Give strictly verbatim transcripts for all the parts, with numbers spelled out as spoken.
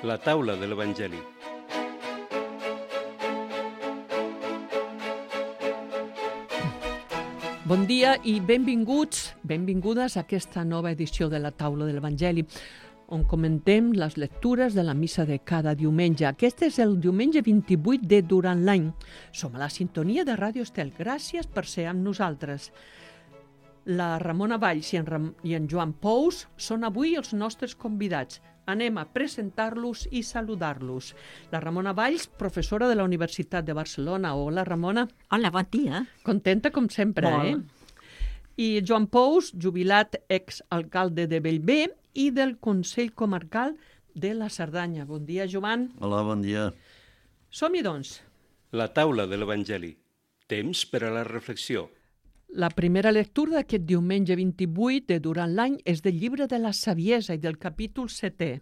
La taula de l'Evangeli. Bon dia i benvinguts, benvingudes a aquesta nova edició de la taula de l'Evangeli, on comentem les lectures de la missa de cada diumenge. Aquest és el diumenge vint-i-vuit de Durant l'any. Som a la sintonia de Ràdio Estel. Gràcies per ser amb nosaltres. La Ramona Valls i en, Ram i en Joan Pous són avui els nostres convidats. Anem a presentar-los i saludar-los. La Ramona Valls, professora de la Universitat de Barcelona. Hola, Ramona. Hola, bon dia. Contenta com sempre, Molt. eh? I Joan Pous, jubilat exalcalde de Bellver i del Consell Comarcal de la Cerdanya. Bon dia, Joan. Hola, bon dia. Som-hi, doncs. La taula de l'Evangeli. Temps per a la reflexió. La primera lectura d'aquest diumenge vint-i-vuit de Durant l'any és del llibre de la Saviesa i del capítol setè.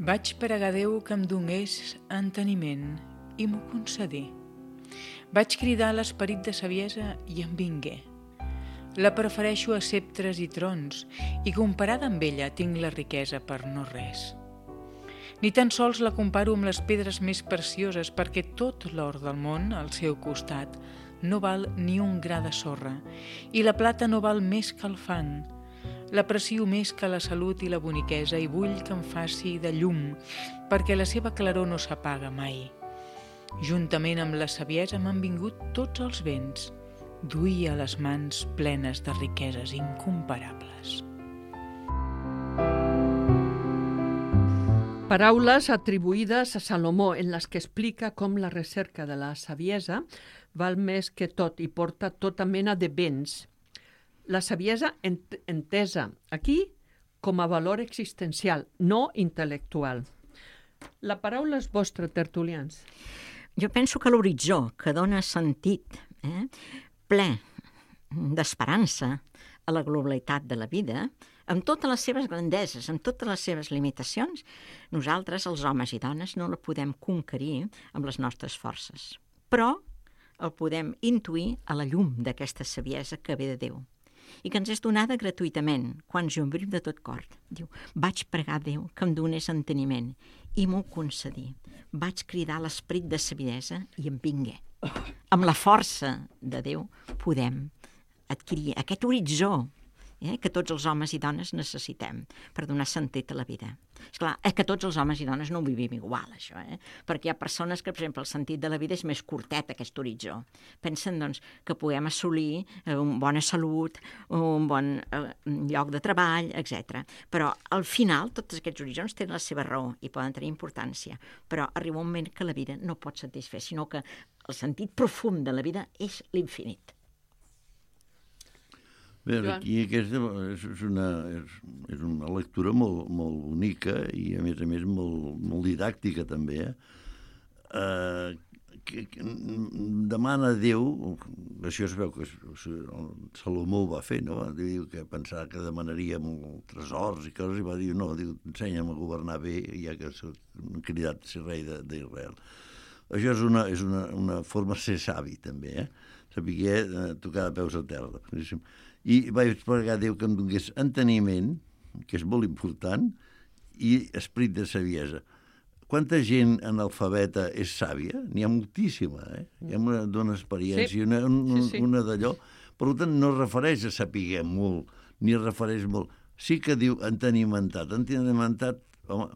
Vaig pregar a Déu que em donés enteniment i m'ho concedí. Vaig cridar a l'esperit de saviesa i em vingué. La prefereixo a ceptres i trons i comparada amb ella tinc la riquesa per no res. Ni tan sols la comparo amb les pedres més precioses perquè tot l'or del món al seu costat no val ni un gra de sorra i la plata no val més que el fang. L'aprecio més que la salut i la boniquesa i vull que em faci de llum perquè la seva claror no s'apaga mai. Juntament amb la saviesa m'han vingut tots els béns. Duia les mans plenes de riqueses incomparables. Paraules atribuïdes a Salomó en les que explica com la recerca de la saviesa val més que tot i porta tota mena de béns. La saviesa ent entesa aquí com a valor existencial, no intel·lectual. La paraula és vostra, tertulians. Jo penso que l'horitzó, que dona sentit, eh, ple d'esperança a la globalitat de la vida, amb totes les seves grandeses, amb totes les seves limitacions, nosaltres, els homes i dones, no la podem conquerir amb les nostres forces. Però el podem intuir a la llum d'aquesta saviesa que ve de Déu i que ens és donada gratuïtament, quan jo em viu de tot cor. Diu, vaig pregar a Déu que em donés enteniment i m'ho concedí. Vaig cridar l'esperit de saviesa i em vingué. Amb la força de Déu podem adquirir aquest horitzó eh, que tots els homes i dones necessitem per donar sentit a la vida. Esclar, és que tots els homes i dones no ho vivim igual, això, eh? Perquè hi ha persones que, per exemple, el sentit de la vida és més curtet, aquest horitzó. Pensen, doncs, que puguem assolir eh, una bona salut, un bon eh, lloc de treball, etcètera. Però, al final, tots aquests horitzons tenen la seva raó i poden tenir importància. Però arriba un moment que la vida no pot satisfer, sinó que el sentit profund de la vida és l'infinit. Bé, aquí aquesta és una, és, és una lectura molt, molt bonica i, a més a més, molt, molt didàctica, també. Eh? Uh, que, que demana a Déu, això es veu que Salomó ho va fer, no? Diu que pensava que demanaria molt tresors i coses, i va dir, no, diu, ensenya'm a governar bé, ja que han cridat a ser rei d'Israel. Això és una, és una, una forma de ser savi, també, eh? Saber eh, tocar de peus a terra. I vaig pregar a Déu que em donés enteniment, que és molt important, i esperit de saviesa. Quanta gent analfabeta és sàvia? N'hi ha moltíssima, eh? Hi ha una dona experiència, sí. una, un, sí, sí. una d'allò. Per tant, no es refereix a saber molt, ni es refereix molt. Sí que diu entenimentat. Entenimentat, home,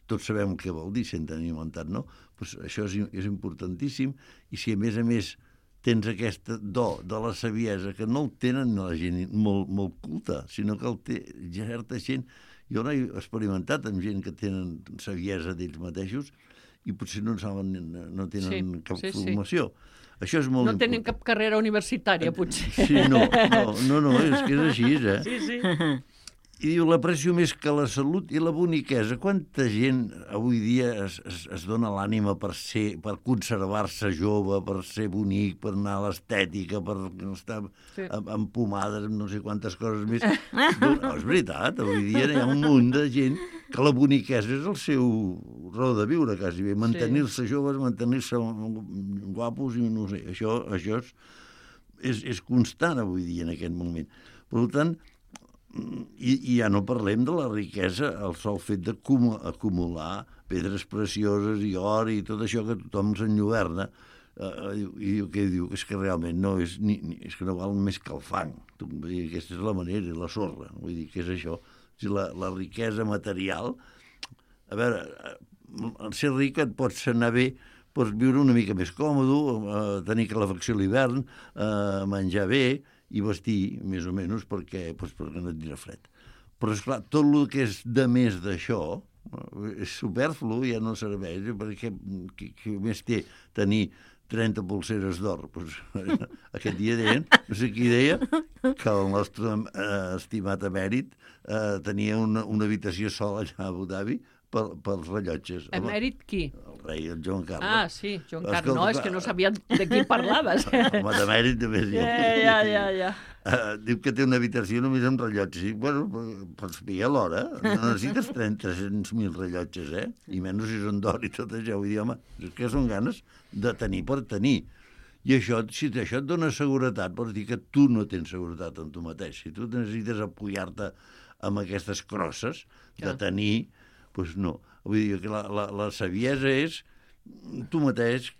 tots sabem el que vol dir ser entenimentat, no? Pues això és, és importantíssim, i si a més a més tens aquest do de la saviesa, que no el tenen la gent molt, molt culta, sinó que el té certa gent. Jo no he experimentat amb gent que tenen saviesa d'ells mateixos i potser no saben, no tenen sí, cap sí, formació. Sí. Això és molt no important. Tenen cap carrera universitària, potser. Sí, no, no, no, no és que és així, eh? Sí, sí. I diu, l'aprecio més que la salut i la boniquesa. Quanta gent avui dia es, es, es dona l'ànima per ser, per conservar-se jove, per ser bonic, per anar a l'estètica, per estar sí. amb, amb pomades, amb no sé quantes coses més. No, no, és veritat, avui dia hi ha un munt de gent que la boniquesa és el seu raó de viure, quasi bé. Mantenir-se sí. joves, mantenir-se guapos, i no sé, això, això és... és, és constant avui dia en aquest moment. Per tant, i, i ja no parlem de la riquesa, el sol fet d'acumular pedres precioses i or i tot això que tothom s'enlluerna, Uh, i diu, què diu? És que realment no és, ni, ni, és que no val més que el fang. Vull dir, aquesta és la manera, la sorra. Vull dir, què és això? O sigui, la, la riquesa material... A veure, al ser ric et pots anar bé, pots viure una mica més còmode, uh, tenir calefacció a l'hivern, uh, menjar bé i vestir, més o menys, perquè, doncs, perquè no et dirà fred. Però, esclar, tot el que és de més d'això és superflu, ja no serveix, perquè qui, qui més té tenir trenta polseres d'or. Pues, aquest dia deien, no sé qui deia, que el nostre eh, estimat emèrit eh, tenia una, una habitació sola allà a Abu Dhabi per, pels rellotges. Emèrit qui? El rei, el Joan Carles. Ah, sí, Joan Carles. No, és que no sabia de qui parlaves. Home, d'emèrit també és ja. Ja, ja, ja. Uh, diu que té una habitació només amb rellotges. I, bueno, pots pillar l'hora. No necessites tres-cents mil rellotges, eh? I menys si són d'or i tot això. Vull dir, home, és que són ganes de tenir per tenir. I això, si això et dona seguretat, vols dir que tu no tens seguretat en tu mateix. Si tu necessites apoyar-te amb aquestes crosses de tenir, doncs no. Vull dir que la, la, la saviesa és tu mateix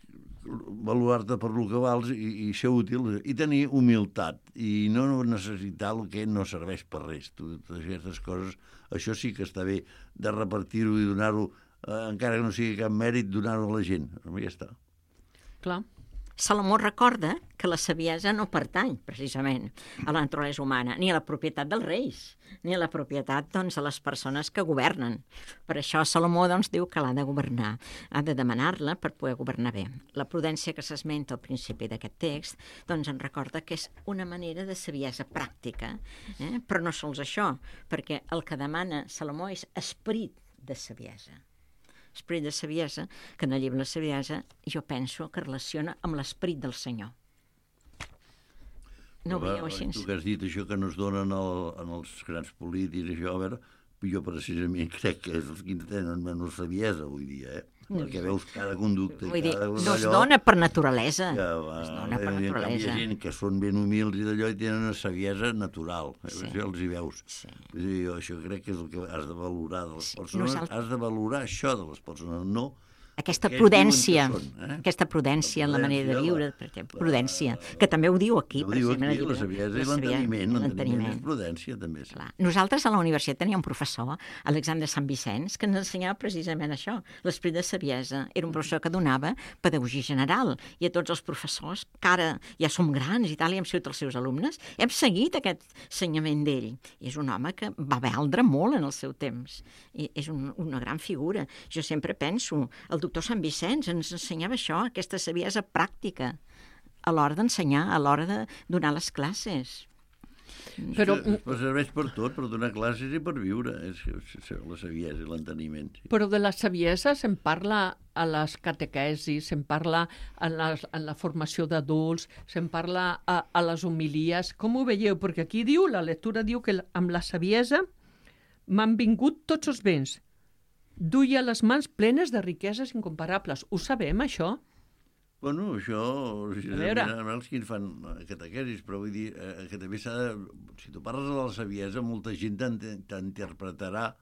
valorar-te per lo que vals i, i ser útil i tenir humilitat i no necessitar el que no serveix per res. Totes aquestes coses, això sí que està bé de repartir-ho i donar-ho, eh, encara que no sigui cap mèrit, donar-ho a la gent. Ja està. Clar. Salomó recorda que la saviesa no pertany, precisament, a la naturalesa humana, ni a la propietat dels reis, ni a la propietat, doncs, de les persones que governen. Per això Salomó, doncs, diu que l'ha de governar, ha de demanar-la per poder governar bé. La prudència que s'esmenta al principi d'aquest text, doncs, en recorda que és una manera de saviesa pràctica, eh? Però no sols això, perquè el que demana Salomó és esperit de saviesa. Esperit de saviesa, que en el llibre de la saviesa jo penso que relaciona amb l'esperit del Senyor. No ho veieu així? Tu que has dit això que no es donen el, en els grans polítics, això, a veure, jo precisament crec que és els que tenen menys saviesa avui dia, eh? Perquè veus cada conducte... Vull dir, cada no es dona per naturalesa. Que, va, es dona per en naturalesa. Hi ha gent que són ben humils i d'allò i tenen una saviesa natural. Sí. Això els hi veus. Sí. Vull dir, jo això crec que és el que has de valorar de les Sí. persones. Nosaltres- Has de valorar això de les persones, no... Aquesta Aquests prudència, diuen que són, eh? aquesta prudència en la manera de prudència, viure, la- per exemple, prudència, que també ho diu aquí, Ho diu precisament, aquí, al la llibre. saviesa i La sabia- l'enteniment. L'enteniment l'enteniment. és prudència, també. Sí. Clar. Nosaltres a la universitat teníem un professor, Alexandre Sant Vicenç, que ens ensenyava precisament això, l'esperit de saviesa. Era un professor que donava pedagogia general i a tots els professors, que ara ja som grans i tal, i hem sigut els seus alumnes, hem seguit aquest ensenyament d'ell. I és un home que va valdre molt en el seu temps. I és un, una gran figura. Jo sempre penso, el doctor Sant Vicenç ens ensenyava això, aquesta saviesa pràctica, a l'hora d'ensenyar, a l'hora de donar les classes. Però, Però serveix per tot, per donar classes i per viure. És la saviesa i l'enteniment. Sí. però de la saviesa se'n parla a les catequesis, se'n parla en la, en la formació d'adults, se'n parla a, a les homilies. Com ho veieu? Perquè aquí diu, la lectura diu que amb la saviesa m'han vingut tots els béns. Duia les mans plenes de riqueses incomparables. Ho sabem, això? Bueno, això... Si A veure. els que en fan catequesis, però vull dir eh, que també s'ha de... Si tu parles de la saviesa, molta gent t'interpretarà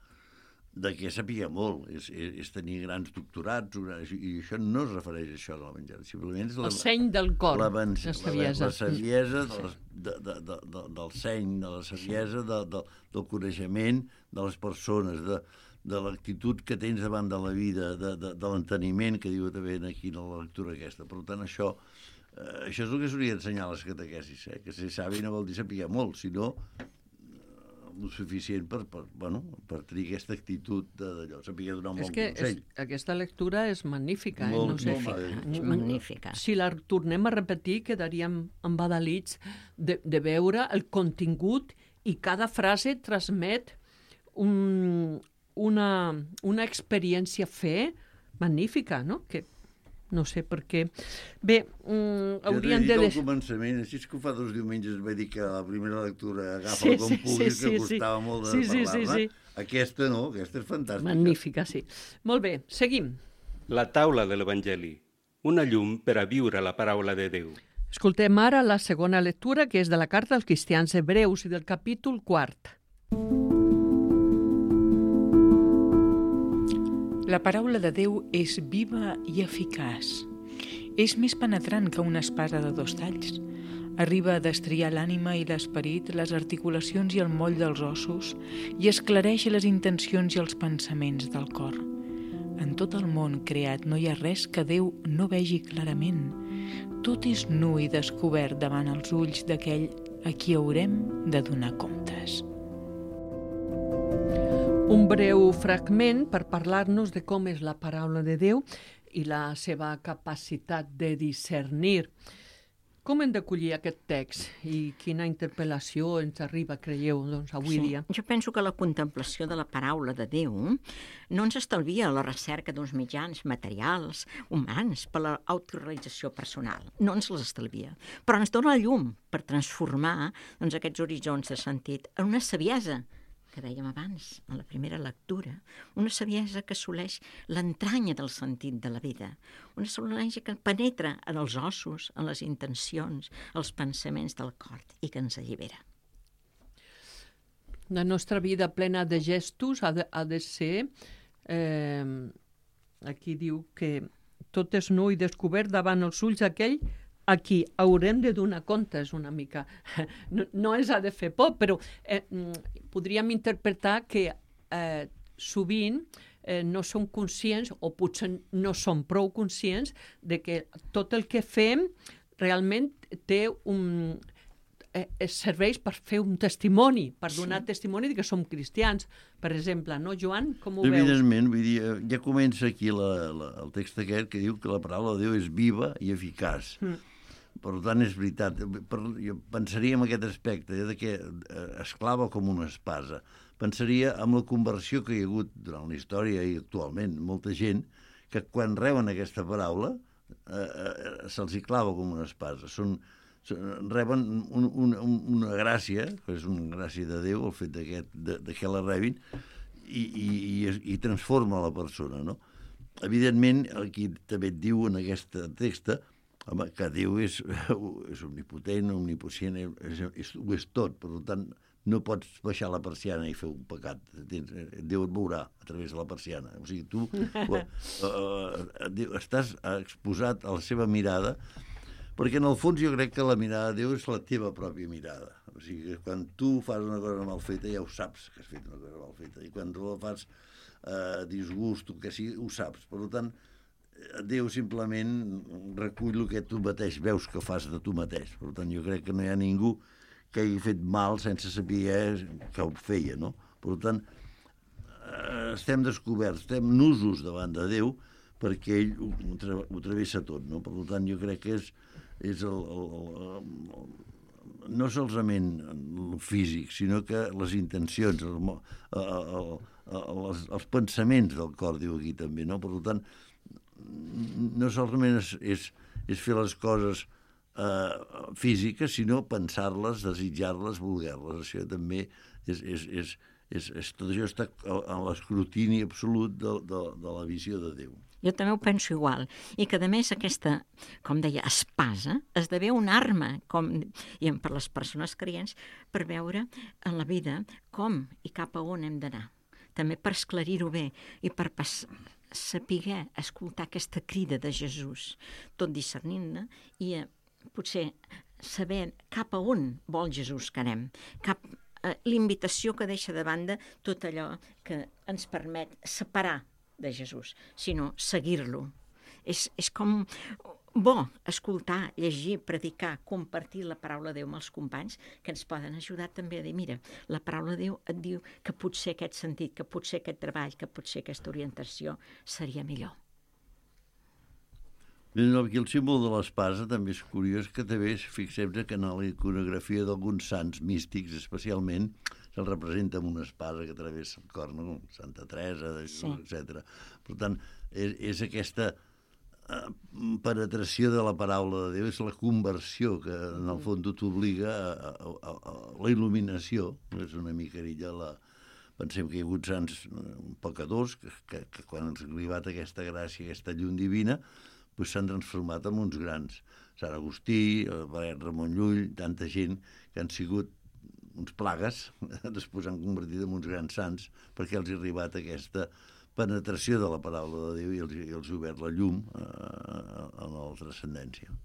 de què sapia molt. És, és, és tenir grans doctorats, i això no es refereix a això de la menjada. Simplement és la, El seny del cor, la, la, la saviesa. La saviesa de les, de, de, de, de, del seny, de la saviesa de, de, del coneixement de les persones, de, de l'actitud que tens davant de la vida, de, de, de l'enteniment que diu també aquí en la lectura aquesta. Per tant, això, eh, això és el que s'hauria d'ensenyar a les catequesis, eh? Que ser savi no vol dir saber molt, sinó eh, el suficient per, per, bueno, per tenir aquesta actitud d'allò, saber donar un És bon que consell. és, aquesta lectura és magnífica. Molt, eh? no sé, molt magnífica. És magnífica. Si la tornem a repetir, quedaríem embadalits de, de veure el contingut i cada frase transmet un, una, una experiència fe magnífica, no? Que no sé per què. Bé, mm, haurien de... Jo t'he dit Des... al començament, així és que fa dos diumenges vaig dir que la primera lectura agafa Sí, com sí, puguis, sí, que sí, costava sí. molt de Sí, sí, sí, parlar-ne. sí. Aquesta no, aquesta és fantàstica. Magnífica, sí. Molt bé, seguim. La taula de l'Evangeli, una llum per a viure la paraula de Déu. Escoltem ara la segona lectura, que és de la carta als cristians hebreus i del capítol quart. La paraula de Déu és viva i eficaç. És més penetrant que una espasa de dos talls. Arriba a destriar l'ànima i l'esperit, les articulacions i el moll dels ossos i esclareix les intencions i els pensaments del cor. En tot el món creat no hi ha res que Déu no vegi clarament. Tot és nu i descobert davant els ulls d'aquell a qui haurem de donar comptes. Un breu fragment per parlar-nos de com és la paraula de Déu i la seva capacitat de discernir. Com hem d'acollir aquest text i quina interpel·lació ens arriba, creieu, doncs, avui Sí, dia? jo penso que la contemplació de la paraula de Déu no ens estalvia la recerca d'uns mitjans materials, humans, per a l'autorealització personal. No ens les estalvia. Però ens dona la llum per transformar doncs, aquests horitzons de sentit en una saviesa, que dèiem abans, en la primera lectura, una saviesa que assoleix l'entranya del sentit de la vida, una saviesa que penetra en els ossos, en les intencions, els pensaments del cor i que ens allibera. La nostra vida plena de gestos ha de, ha de ser, eh, aquí diu que tot és nou i descobert davant els ulls d'aquell a qui haurem de donar comptes una mica. No, no ens ha de fer por, però eh, podríem interpretar que eh, sovint eh, no som conscients, o potser no som prou conscients, de que tot el que fem realment té un... Eh, serveix per fer un testimoni, per donar sí. testimoni de que som cristians, per exemple, no, Joan? Com ho veus? Evidentment, vull dir, ja comença aquí la, la, el text aquest que diu que la paraula de Déu és viva i eficaç. Mm. Per tant, és veritat. Per, jo pensaria en aquest aspecte, eh, de que es clava com una espasa. Pensaria en la conversió que hi ha hagut durant la història i actualment molta gent que quan reben aquesta paraula eh, eh, se'ls hi clava com una espasa. Són reben un, un, una gràcia, que és una gràcia de Déu, el fet de, de que la rebin, i, i, i, i transforma la persona, no? Evidentment, aquí també et diu en aquest text home, que Déu és, és omnipotent, omnipotent, és, és, ho és tot, per tant, no pots baixar la persiana i fer un pecat. Déu et veurà a través de la persiana. O sigui, tu uh, uh, estàs exposat a la seva mirada, perquè en el fons jo crec que la mirada de Déu és la teva pròpia mirada. O sigui, que quan tu fas una cosa mal feta ja ho saps que has fet una cosa mal feta, i quan tu la fas eh, disgust o que sigui, ho saps. Per tant, Déu simplement recull el que tu mateix veus que fas de tu mateix. Per tant, jo crec que no hi ha ningú que hagi fet mal sense saber que ho feia, no? Per tant, eh, estem descoberts, estem nusos davant de Déu perquè ell ho, ho travessa tot, no? Per tant, jo crec que és és el, el, el, el, no solament el físic, sinó que les intencions, el, el, el, els, els pensaments del cor, diu aquí també, no? Per tant, no solament és, és, és fer les coses eh, físiques, sinó pensar-les, desitjar-les, voler-les. Això també és, és, és, és, és tot això està en l'escrutini absolut de, de, de la visió de Déu. Jo també ho penso igual, i que a més aquesta, com deia, espasa, esdevé una arma, com, i per les persones creients, per veure en la vida com i cap a on hem d'anar. També per esclarir-ho bé i per pas, saber escoltar aquesta crida de Jesús, tot discernint-ne, i eh, potser saber cap a on vol Jesús que anem, cap eh, l'invitació que deixa de banda tot allò que ens permet separar de Jesús, sinó seguir-lo. És, és com bo escoltar, llegir, predicar, compartir la paraula de Déu amb els companys que ens poden ajudar també a dir, mira, la paraula de Déu et diu que potser aquest sentit, que potser aquest treball, que potser aquesta orientació seria millor. Aquí el símbol de l'espasa també és curiós, que també fixem-nos que en la iconografia d'alguns sants místics especialment se'l representa amb una espasa que travessa el cor, no? Santa Teresa, sí. etcètera. Per tant, és, és aquesta uh, penetració de la paraula de Déu, és la conversió que en el fons t'obliga a, a, a, a la il·luminació. És una mica ella la... Pensem que hi ha hagut sants pecadors que, que, que quan ens ha arribat aquesta gràcia, aquesta llum divina, doncs s'han transformat en uns grans Sant Agustí, el Benet Ramon Llull, tanta gent que han sigut uns plagues, després han convertit en uns grans sants, perquè els ha arribat aquesta penetració de la paraula de Déu i els, i els ha obert la llum eh, a la transcendència.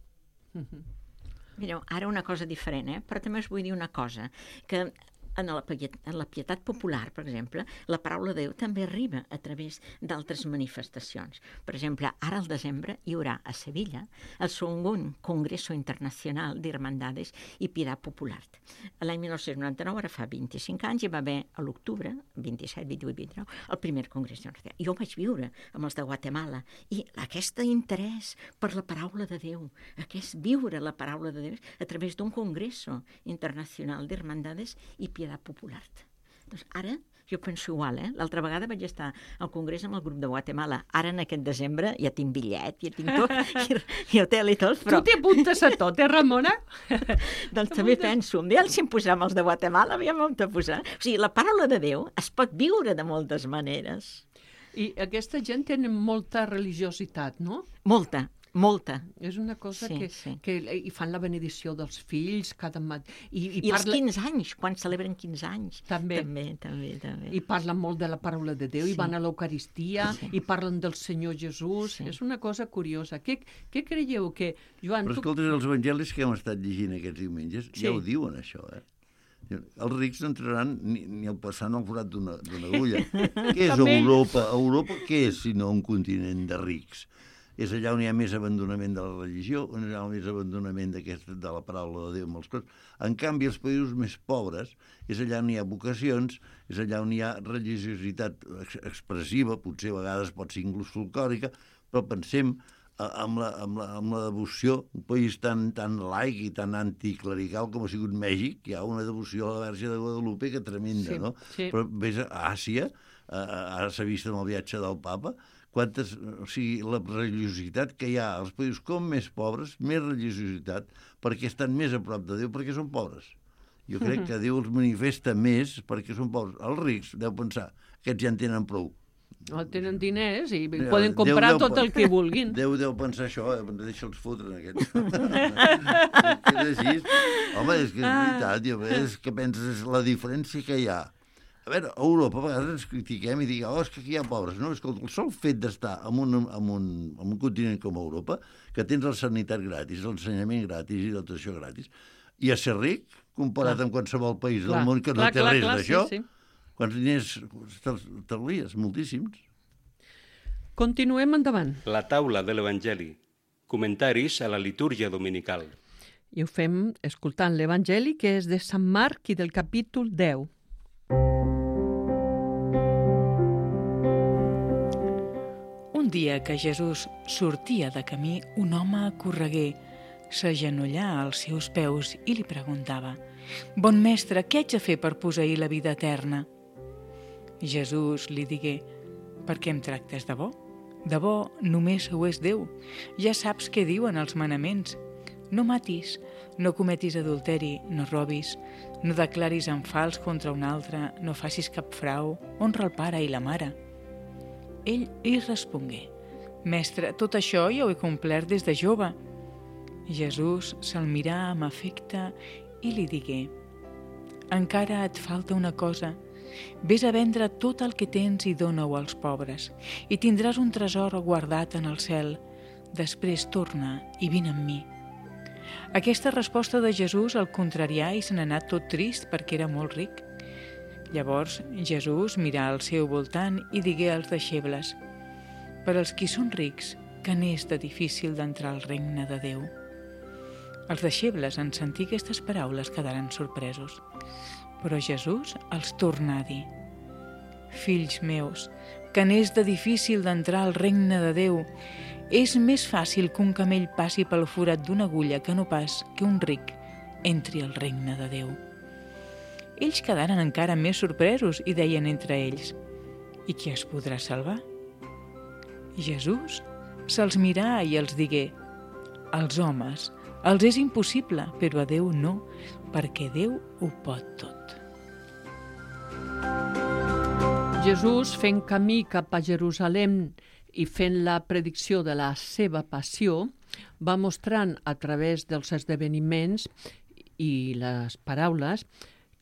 Mireu, ara una cosa diferent, eh? Però també us vull dir una cosa, que en la, en la pietat popular, per exemple, la paraula de Déu també arriba a través d'altres manifestacions. Per exemple, ara al desembre hi haurà a Sevilla el segon Congreso Internacional d'Hermandades i Pietat Popular. L'any dinou noranta-nou, ara fa vint-i-cinc anys, hi va haver a l'octubre, vint-i-set, vint-i-vuit, vint-i-nou, el primer Congrés Internacional. Jo vaig viure amb els de Guatemala i aquest interès per la paraula de Déu, aquest viure la paraula de Déu a través d'un Congreso Internacional d'Hermandades i Pietat Popular. Doncs ara jo penso igual, eh? L'altra vegada vaig estar al congrés amb el grup de Guatemala. Ara en aquest desembre ja tinc bitllet, ja tinc tot, i, i hotel i tot, però... Tu t'hi apuntes a tot, eh, Ramona? Doncs també penso, un dia si em posem els de Guatemala, aviam on te posar. O sigui, la paraula de Déu es pot viure de moltes maneres. I aquesta gent té molta religiositat, no? Molta. Molta. És una cosa sí, que, sí. que i fan la benedicció dels fills cada matí. I, i, I parla... els quinze anys, quan celebren quinze anys. També. També, també, també. I parlen molt de la paraula de Déu, sí. I van a l'Eucaristia, sí. I parlen del Senyor Jesús. Sí. És una cosa curiosa. Què, què creieu que... Joan, Però escolta, tu... els evangelis que hem estat llegint aquests diumenges, sí. Ja ho diuen, això, eh? Els rics no entraran ni, ni el passant al forat d'una agulla. Què és Europa? Europa què és, sinó un continent de rics? És allà on hi ha més abandonament de la religió, on hi ha més abandonament de la paraula de Déu, molts coses. En canvi, els països més pobres és allà on hi ha vocacions, és allà on hi ha religiositat expressiva, potser a vegades pot ser inclús folclòrica, però pensem amb la, amb la, amb la devoció, un país tan, tan laic i tan anticlerical com ha sigut Mèxic, hi ha una devoció a la Verge de Guadalupe que tremenda, sí, no? Sí. Però vés a Àsia, ara s'ha vist amb el viatge del papa, quantes, o sigui, la religiositat que hi ha als països com més pobres, més religiositat, perquè estan més a prop de Déu, perquè són pobres. Jo crec que Déu els manifesta més perquè són pobres. Els rics, deu pensar, aquests ja en tenen prou. No, tenen diners i ja, poden comprar Déu, tot el que vulguin. Déu deu pensar això, eh? Deixa'ls fotre en aquests. És així. Home, és que és veritat, jo, és que penses la diferència que hi ha. A veure, a Europa a vegades ens critiquem i diguem, oh, és que aquí hi ha pobres. No, és que el sol fet d'estar en un, en, un, en un continent com Europa, que tens la sanitat gratis, l'ensenyament gratis i tot això gratis, i a ser ric, comparat clar. Amb qualsevol país clar. Del món que clar, no té clar, res d'això, sí, sí. Quants diners t'arlies? Moltíssims. Continuem endavant. La taula de l'Evangeli. Comentaris a la litúrgia dominical. I ho fem escoltant l'Evangeli, que és de Sant Marc i del capítol deu. Un dia que Jesús sortia de camí, un home correguer s'agenollà als seus peus i li preguntava: «Bon mestre, què haig de fer per posseir la vida eterna?» Jesús li digué: «Per què em tractes de bo? De bo només ho és Déu. Ja saps què diuen els manaments. No matis, no cometis adulteri, no robis, no declaris en fals contra un altre, no facis cap frau, honra el pare i la mare». Ell li respongué: «Mestre, tot això ja ho he complert des de jove». Jesús se'l mirà amb afecte i li digué: «Encara et falta una cosa. Ves a vendre tot el que tens i dona-ho als pobres, i tindràs un tresor guardat en el cel. Després torna i vine amb mi». Aquesta resposta de Jesús el contrarià i se n'anà tot trist perquè era molt ric. Llavors Jesús mirà al seu voltant i digué als deixebles: «Per als qui són rics, que n'és de difícil d'entrar al regne de Déu». Els deixebles, en sentir aquestes paraules, quedaren sorpresos. Però Jesús els torna a dir: «Fills meus, que n'és de difícil d'entrar al regne de Déu. És més fàcil que un camell passi pel forat d'una agulla que no pas que un ric entri al regne de Déu». Ells quedaren encara més sorpresos i deien entre ells: «I qui es podrà salvar?» Jesús se'ls mirà i els digué: «Als homes els és impossible, però a Déu no, perquè Déu ho pot tot». Jesús, fent camí cap a Jerusalem i fent la predicció de la seva passió, va mostrant a través dels esdeveniments i les paraules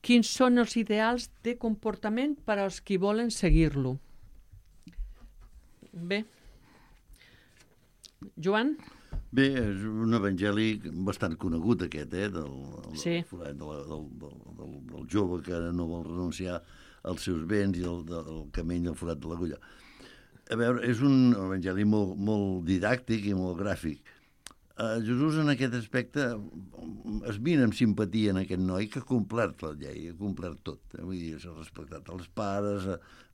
quins són els ideals de comportament per als qui volen seguir-lo. Bé. Joan? Bé, és un evangeli bastant conegut aquest, eh, del, sí. del, del, del, del, del, del jove que no vol renunciar als seus béns i el, del camell del forat de l'agulla. A veure, és un evangeli molt, molt didàctic i molt gràfic. Uh, Jesús en aquest aspecte es mira amb simpatia en aquest noi que ha complert la llei, ha complert tot. Eh? Vull dir, s'ha respectat els pares,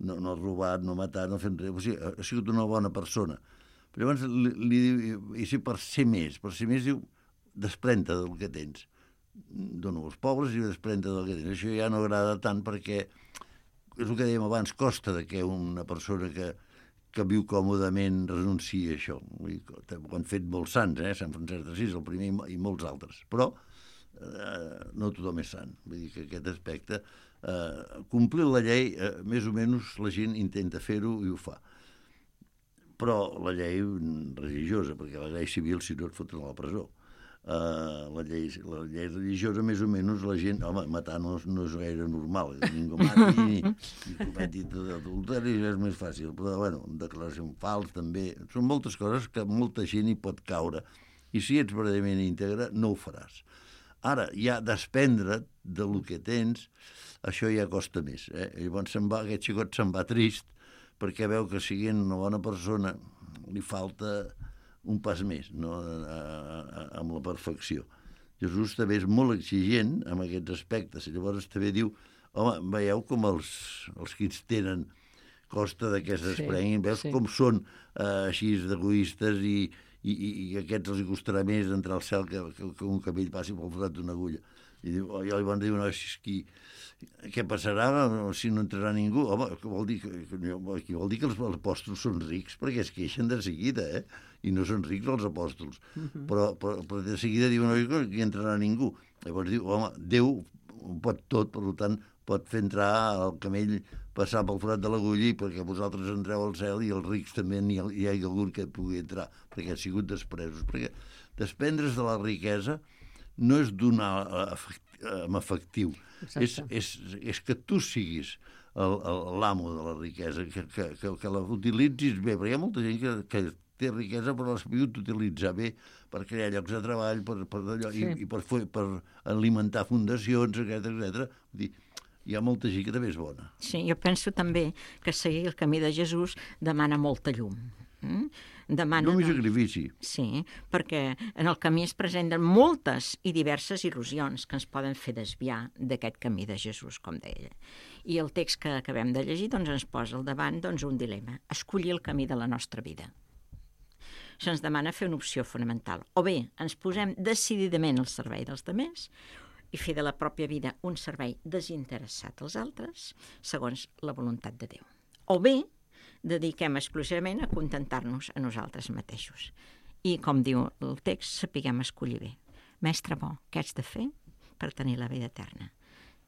no, no ha robat, no ha matat, no ha fet res. O sigui, ha sigut una bona persona. Però llavors li, li diu, i si per ser més, per ser més diu, desprèn-te del que tens. Dóna als pobres i desprèn-te del que tens. Això ja no agrada tant perquè, és el que dèiem abans, costa de que una persona que que viu còmodament renuncia a això. Ho han fet molts sants, eh? Sant Francesc d'Assís, el primer, i molts altres. Però eh, no tothom és sant. Vull dir que aquest aspecte, eh, complir la llei, eh, més o menys la gent intenta fer-ho i ho fa. Però la llei religiosa, perquè la llei civil, si no et foten a la presó. Uh, la, llei, la llei religiosa, més o menys, la gent... Home, matar no, no és gaire normal. Ningú mati ni, ni cometi adulteri, és més fàcil. Però, bueno, declaració fals, també. Són moltes coses que molta gent hi pot caure. I si ets verdaderament íntegre, no ho faràs. Ara, ja desprendre't del que tens, això ja costa més. Eh? Llavors se'n va, aquest xicot se'n va trist perquè veu que siguent una bona persona li falta un pas més, no? a, a, amb la perfecció. Jesús també és molt exigent amb aquests aspectes. I llavors també diu, home, veieu com els, els que ens tenen costa de que s'esprenguin, sí, veus sí. com són uh, així d'egoistes i, i, i aquests els costarà més entrar al cel que, que, que un camell passi pel forat d'una agulla. I diu, oh, i llavors diu, no, qui, què passarà si no entrarà ningú? Home, que vol dir que, que, vol dir que els apòstols són rics perquè es queixen de seguida, eh? I no són rics els apòstols. Uh-huh. però, però, però de seguida diuen no, que hi entrarà ningú. Llavors diu, home, Déu ho pot tot, per tant, pot fer entrar el camell, passar pel forat de l'agulla i perquè vosaltres entreu al cel i els rics també n'hi ha, hi ha algun que pugui entrar, perquè ha sigut despresos. Perquè desprendre's de la riquesa no és donar amb efectiu, és, és, és que tu siguis l'amo de la riquesa, que, que, que, que la utilitzis bé, perquè hi ha molta gent que, que té riquesa però l'ha sabut utilitzar bé per crear llocs de treball, per, per allò, sí. i, i per, per alimentar fundacions, etcètera, etcètera. Vull dir, hi ha molta gent que també és bona. Sí, jo penso també que seguir el camí de Jesús demana molta llum. Mm? Demana... Llum i sacrifici. Sí, perquè en el camí es presenten moltes i diverses il·lusions que ens poden fer desviar d'aquest camí de Jesús, com deia. I el text que acabem de llegir doncs, ens posa al davant doncs, un dilema, escollir el camí de la nostra vida. Se'ns demana fer una opció fonamental. O bé ens posem decididament al servei dels altres i fer de la pròpia vida un servei desinteressat als altres, segons la voluntat de Déu. O bé dediquem exclusivament a contentar-nos a nosaltres mateixos. I, com diu el text, sapiguem escollir bé. Mestre bo, què haig de fer per tenir la vida eterna?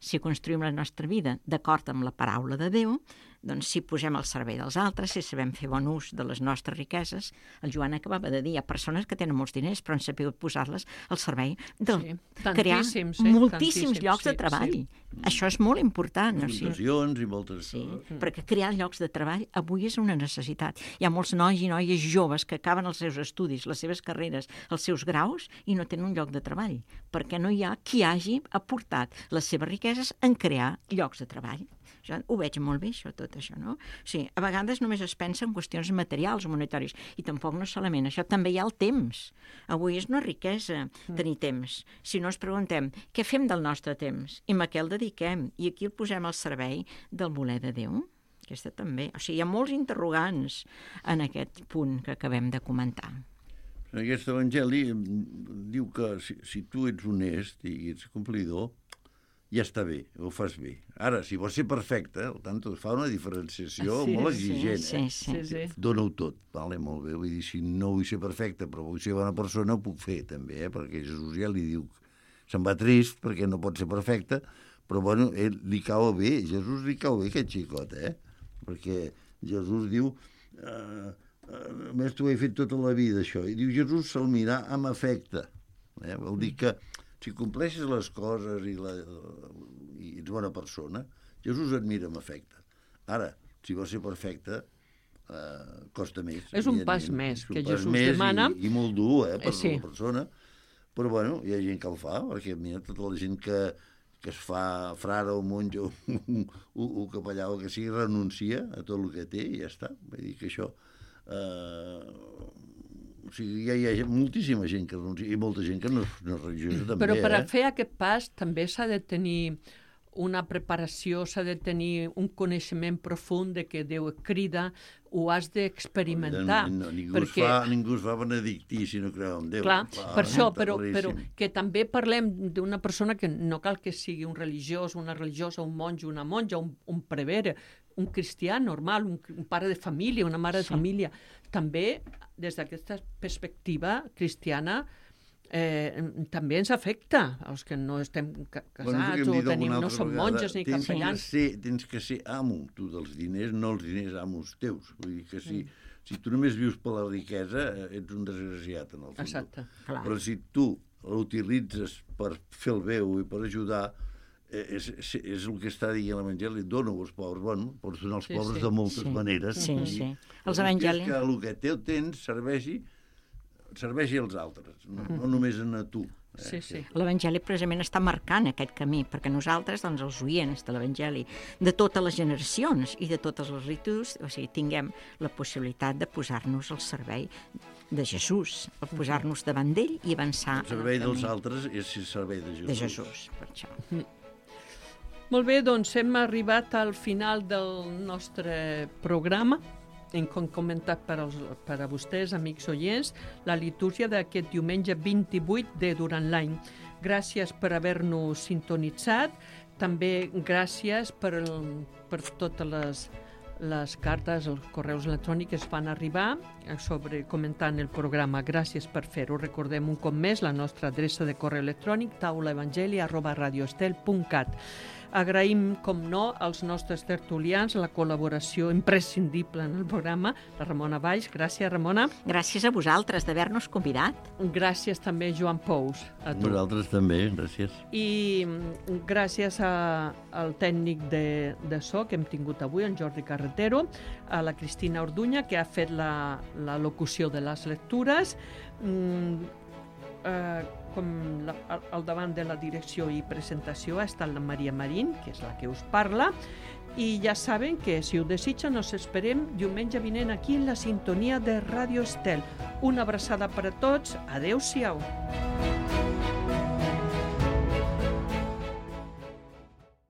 Si construïm la nostra vida d'acord amb la paraula de Déu, doncs si posem al servei dels altres, si sabem fer bon ús de les nostres riqueses, el Joan acabava de dir, hi ha persones que tenen molts diners però han sabut posar-les al servei de sí, crear eh? moltíssims llocs sí, de treball. Sí. Això és molt important. Fundacions i moltes sí, coses. Perquè crear llocs de treball avui és una necessitat. Hi ha molts nois i noies joves que acaben els seus estudis, les seves carreres, els seus graus i no tenen un lloc de treball, perquè no hi ha qui hagi aportat les seves riqueses en crear llocs de treball. Jo ho veig molt bé, això, tot això, no? Sí, a vegades només es pensa en qüestions materials o monetàries, i tampoc no solament això, també hi ha el temps. Avui és una riquesa tenir temps. Si no ens preguntem què fem del nostre temps i a què el dediquem, i aquí el posem al servei del voler de Déu. Aquesta també. O sigui, hi ha molts interrogants en aquest punt que acabem de comentar. En aquest evangeli diu que si, si tu ets honest i ets complidor, ja està bé, ho fas bé. Ara, si vols ser perfecte, el tanto fa una diferenciació sí, molt exigent. Sí, sí, eh? sí, sí. Dóna-ho tot, vale, molt bé. Vull dir, si no vull ser perfecte, però vull ser bona persona, ho puc fer, també, eh? Perquè Jesús ja li diu se'n va trist perquè no pot ser perfecte, però, bueno, ell li cau bé, Jesús li cau bé aquest xicot, eh? Perquè Jesús diu, eh, a més t'ho he fet tota la vida, això. I diu, Jesús se'l mirà amb afecte. Eh? Vol dir que si compleixes les coses i, la, i ets bona persona, Jesús et mira amb afecte. Ara, si vols ser perfecte, eh, costa més. És un pas més que Jesús més demana. I, i molt dur, eh, per sí. la persona. Però, bueno, hi ha gent que el fa, perquè, mira, tota la gent que, que es fa frare o monja o, o, o capellà o que sigui, renuncia a tot el que té i ja està. Vull dir que això... Eh, o sigui, ja hi ha moltíssima gent que renuncia i molta gent que no, no és religiosa també. Però per a eh? fer aquest pas també s'ha de tenir una preparació, s'ha de tenir un coneixement profund de que Déu et crida, ho has d'experimentar. No, ningú, perquè... es fa, ningú es fa benedictí si no creu en Déu. Clar, Fa, per això, però, claríssim. però que també parlem d'una persona que no cal que sigui un religiós, una religiosa, un monjo, una monja, un, un prevere, un cristià normal, un, un pare de família, una mare de Sí. família. També, des d'aquesta perspectiva cristiana, eh, també ens afecta els que no estem ca casats Bueno, o tenim, no som monges ni tens capellans. Que ser, tens que ser amo, tu, dels diners, no els diners amos teus. Vull dir que si, mm. si tu només vius per la riquesa, ets un desgraciat, en el fons. Exacte. Clar. Però si tu l'utilitzes per fer el bé i per ajudar, eh, és, és, és el que està dient l'Evangeli, dona-ho als pobres. Bueno, pots donar als Sí, pobres sí. de moltes Sí. maneres. Sí, I- sí. i Els evangelis- que el que teu tens serveixi, serveixi als altres, no, no només a tu. Eh? Sí, sí. L'Evangeli precisament està marcant aquest camí, perquè nosaltres, doncs, els oients de l'Evangeli, de totes les generacions i de totes les ritus, o sigui, tinguem la possibilitat de posar-nos al servei de Jesús, de posar-nos davant d'ell i avançar El servei en el dels camí altres és el servei de Jesús. de Jesús, per això. Molt bé, doncs hem arribat al final del nostre programa. Hem comentat per, als, per a vostès, amics oients, la litúrgia d'aquest diumenge vint-i-vuit de durant l'any. Gràcies per haver-nos sintonitzat. També gràcies per, el, per totes les, les cartes, els correus electrònics que es van arribar sobre comentant el programa. Gràcies per fer-ho. Recordem un cop més la nostra adreça de correu electrònic taulaevangeli arroba radioestel punt cat. Agraïm, com no, als nostres tertulians la col·laboració imprescindible en el programa, la Ramona Valls. Gràcies, Ramona. Gràcies a vosaltres d'haver-nos convidat. Gràcies també, Joan Pous, a tu. Vosaltres també, gràcies. I mm, gràcies a, al tècnic de, de so que hem tingut avui, en Jordi Carretero, a la Cristina Orduña, que ha fet la, la locució de les lectures, mm, eh, com la, al, al davant de la direcció i presentació ha estat la Maria Marín, que és la que us parla, i ja saben que si ho desitgen us esperem diumenge vinent aquí en la sintonia de Ràdio Estel. Una abraçada per a tots, adeu-siau.